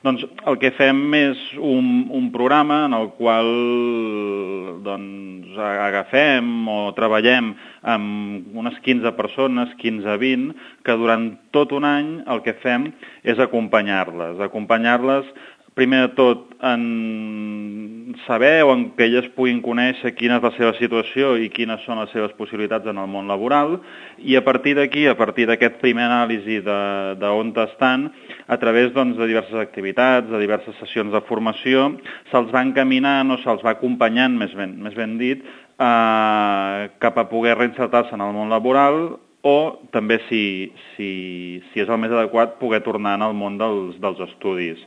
Doncs el que fem és un programa en el qual doncs, agafem o treballem amb unes 15 persones, 15-20, que durant tot un any el que fem és acompanyar-les primer de tot en saber o en que elles puguin conèixer quina és la seva situació i quines són les seves possibilitats en el món laboral, i a partir d'aquí, a partir d'aquest primer anàlisi d'on estan, a través doncs, de diverses activitats, de diverses sessions de formació, se'ls va encaminant o se'ls va acompanyant, més ben dit, cap a poder reinsertar-se en el món laboral o també, si és el més adequat, poder tornar al món dels estudis.